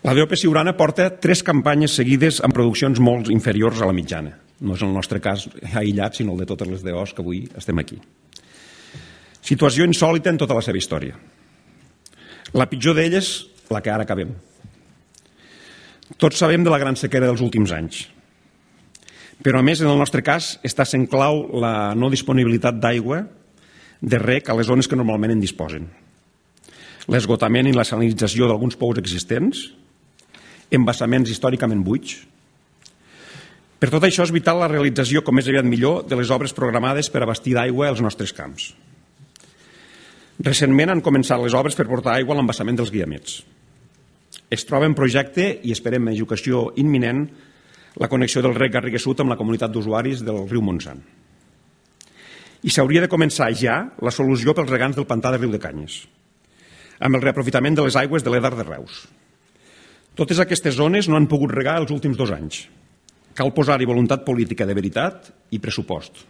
La DOP Siurana porta 3 campanyes seguides amb produccions molt inferiors a la mitjana. No és el nostre cas aïllat, sinó el de totes les DOs que avui estem aquí. Situació insòlita en tota la seva història. La pitjor d'elles, la que ara acabem. Tots sabem de la gran sequera dels últims anys. Però, a més, en el nostre cas, està sent clau la no disponibilitat d'aigua de rec a les zones que normalment en disposen. L'esgotament i la salinització d'alguns pous existents, embassaments històricament buits. Per tot això és vital la realització, com més aviat millor, de les obres programades per abastir d'aigua als nostres camps. Recentment han començat les obres per portar aigua a l'embassament dels Guiamets. Es troba en projecte i esperem en execució imminent la connexió del rec Garrigues Sud amb la comunitat d'usuaris del riu Montsant. I s'hauria de començar ja la solució pels regants del pantà de Riu de Canyes, amb el reaprofitament de les aigües de l'Edar de Reus. Totes aquestes zones no han pogut regar els últims 2 anys. Cal posar-hi voluntat política de veritat i pressupost.